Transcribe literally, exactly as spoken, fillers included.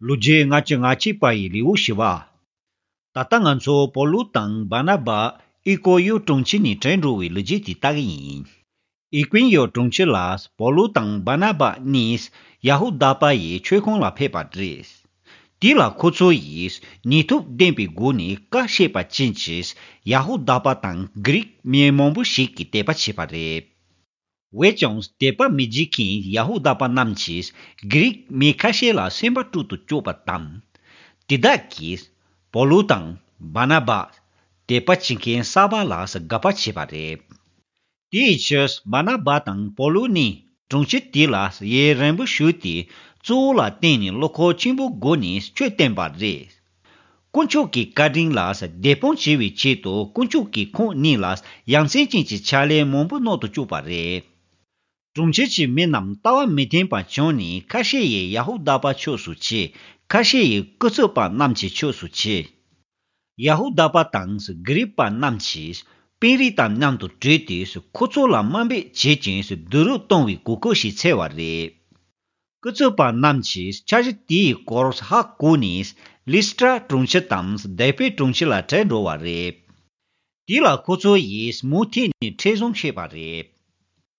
ལོ་རྒྱུས་ལྔ་བཅུ་ང་གཅིག་པ་ཡི་ལེའུ་བཞི་པ། ད་ལྟ་ང་ཚོ་པོ་ལུ་དང་བར་ན་བ་ཨི་ཀོ་ཡོ་གྲོང་ཁྱེར་ནས་བྲོས་འགྲོ་བའི་ལོ་རྒྱུས་དེ་ལྟ་གི་ཡིན། ཨི་ཀོན་ཡོ་གྲོང་ཁྱེར་ལ་པོ་ལུ་དང་བར་ན་བ་གཉིས་ཡ་ཧུ་དཱ་པ་ཡི་ཆོས་ཁང་ལ་ཕེབས་པ་རེད། དེ་ལ་ཁོ་ཚོ་ཡིས་ནུས་སྟོབས་ལྡན་པའི་སྒོ་ནས་ཀ་བཤད་པ་ཅན་གྱི་ཡ་ཧུ་དཱ་པ་དང་གྷི་རིག་མི་མང་པོ་ཞིག་གིས་དད་པ་བྱས་པ་རེད། འོན་ཀྱང་དད་པ་མི་བྱེད་མཁན་ཡ་ཧུ་དཱ་པ་རྣམས་ཀྱིས་གྷི་རིག་མི་ཁ་ཤས་ལ་སེམས་པ་དཀྲུག་ཏུ་བཅུག་པ་དང་། དེ་དག་གིས་པོ་ལུ་དང་བར་ན་བ་དད་པ་བྱེད་མཁན་གསར་པ་ལ་དགག་པ་བྱས་པ་རེད། དེའི་ཕྱིར་བར་ན་བ་དང་པོ་ལུ་ནི་གྲོང་ཁྱེར་དེ་ལ་ཡུན་རིང་པོ་བཞུགས་ཏེ། གཙོ་བོ་ལ་བརྟེན་ནས་བློ་ཁོག་ཆེན་པོའི་སྒོ་ནས་ཆོས་བསྟན་པ་རེད། དཀོན་མཆོག་གི་བཀའ་དྲིན་ལ་དད་སྤོང་བྱེད་པའི་ཆེད་དུ་དཀོན་མཆོག་གིས་ཁོང་གཉིས་ལ་ཡ་མཚན་ཅན་གྱི་ཕྱག་ལས་མང་པོ་གནང་དུ་བཅུག་པ་རེད། གྲོང་ཁྱེར་གྱི་མི་རྣམས་ལྟ་བ་མི་མཐུན་པ་བྱུང་ནས། ཁ་ཤས་ཡིས་ཡ་ཧུ་དཱ་པ་ཕྱོགས་སུ་ཕྱེ། ཁ་ཤས་ཡིས་ཀུ་ཚུགས་པ་རྣམས་ཀྱི་ཕྱོགས་སུ་ཕྱེ། ཡ་ཧུ་དཱ་པ་དང་གྷི་རིག་པ་རྣམས་ཀྱིས་དཔོན་རིགས་དང་མཉམ་དུ་གྲོས་ཏེ། ཁོ་ཚོ་ལ་དམའ་འབེབས་བྱེད་ཅིང་སྡུག་རུས་གཏོང་བའི་གོ་སྐབས་ཤིག་འཚོལ་བ་རེད། ཀུ་ཚུགས་པ་རྣམས་ཀྱིས་འཆར་གཞི་དེའི་སྐོར་ཧ་གོ་ནས། ལི་སི་ཏྲ་གྲོང་ཁྱེར་དང་དེ་པེ་གྲོང་ཁྱེར་ལ་བྲོས་འགྲོ་བ་རེད། དེ་ལ་ཁོ་ཚོ་ཡིས་མུ་མཐུད་ནས་འཕྲིན་བཟང་བཤད་པ་རེད།